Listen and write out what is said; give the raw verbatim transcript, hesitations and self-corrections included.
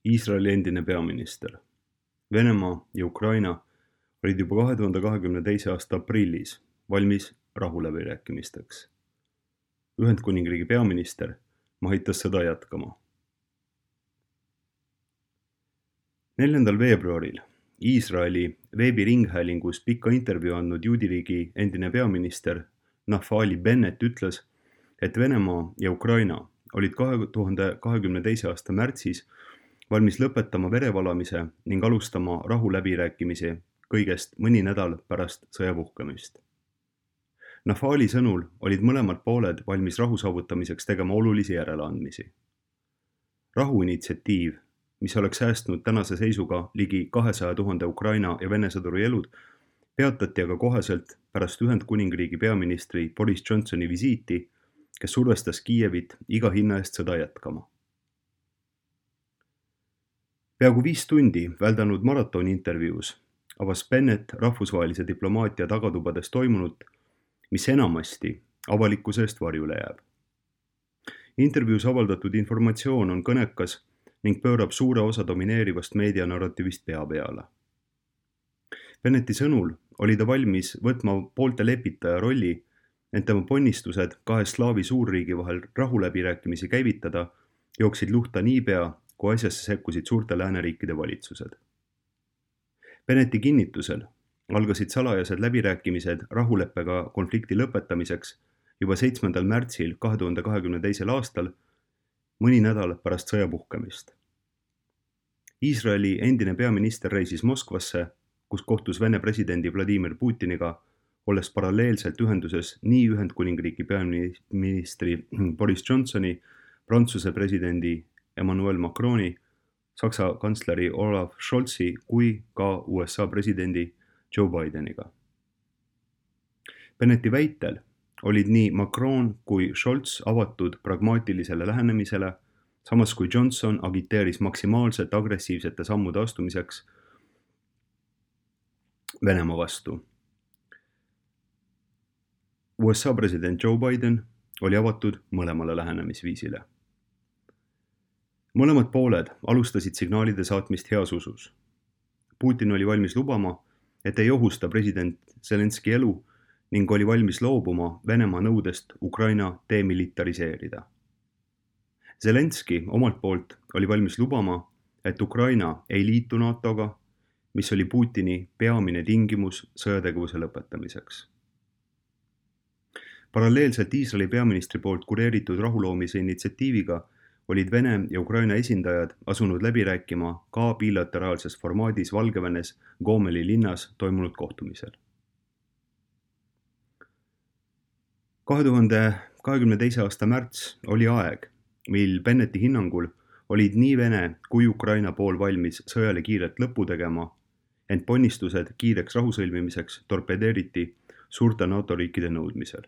Iisraeli endine peaminister. Venemaa ja Ukraina olid juba kahe tuhande kahekümne teise aasta aprillis valmis rahuläbirääkimisteks. Ühendkuningriigi peaminister mahitas sõda jätkama. neljandal veebruaril Iisraeli veebiringhäälingus pikka intervjuu andnud juudiriigi endine peaminister Naftali Bennett ütles, et Venemaa ja Ukraina olid kahe tuhande kahekümne teise aasta märtsis valmis lõpetama verevalamise ning alustama rahuläbirääkimisi kõigest mõni nädal pärast sõja puhkemist. Naftali sõnul olid mõlemad pooled valmis rahu saavutamiseks tegema olulisi järeleandmisi. Rahuinitsiatiiv, mis oleks säästnud tänase seisuga ligi kahesaja tuhande Ukraina ja Vene sõduri elud, peatati aga koheselt pärast Ühendkuningriigi peaministri Boris Johnsoni visiiti, kes survestas Kiievit iga hinna eest sõda jätkama. Peaaegu viis tundi väldanud maratoni intervjuus avas Bennett rahvusvahelise diplomaatia tagatubades toimunut, mis enamasti avalikkuse eest varjule jääb. Intervjuus avaldatud informatsioon on kõnekas ning pöörab suure osa domineerivast meedianarrativist pea peale. Bennetti sõnul oli ta valmis võtma poolte lepitaja rolli, ent tema ponnistused kahe slaavi suurriigi vahel rahuläbirääkimisi käivitada jooksid luhta niipea, kui asjasse sekkusid suurte lääneriikide valitsused. Bennetti kinnitusel algasid salajased läbirääkimised rahuleppega konflikti lõpetamiseks juba seitsmendal märtsil kahe tuhande kahekümne teisel aastal, mõni nädal pärast sõja puhkemist. Iisraeli endine peaminister reisis Moskvasse, kus kohtus Vene presidendi Vladimir Putiniga, olles paralleelselt ühenduses nii Ühendkuningriigi peaministri Boris Johnsoni, Prantsuse presidendi Emmanuel Macroni, Saksa kantsleri Olaf Scholzi kui ka U S A presidendi Joe Bideniga. Bennetti väitel olid nii Macron kui Scholz avatud pragmaatilisele lähenemisele, samas kui Johnson agiteeris maksimaalselt agressiivsete sammude astumiseks Venemaa vastu. U S A president Joe Biden oli avatud mõlemale lähenemisviisile. Mõlemad pooled alustasid signaalide saatmist heas usus. Putin oli valmis lubama, et ei ohusta president Zelenski elu ning oli valmis loobuma Venemaa nõudest Ukraina demilitariseerida. Zelenski omalt poolt oli valmis lubama, et Ukraina ei liitu NATOga, mis oli Putini peamine tingimus sõjategevuse lõpetamiseks. Paralleelselt Iisraeli peaministri poolt kureeritud rahuloomise initsiatiiviga olid Vene ja Ukraina esindajad asunud läbi rääkima ka bilateraalses formaadis Valgevenes Gomeli linnas toimunud kohtumisel. kahe tuhande kahekümne teise aasta märts oli aeg, mil Bennetti hinnangul olid nii Vene kui Ukraina pool valmis sõjale kiirelt lõpu tegema, ent ponnistused kiireks rahusõlmimiseks torpedeeriti suurte NATO riikide nõudmisel.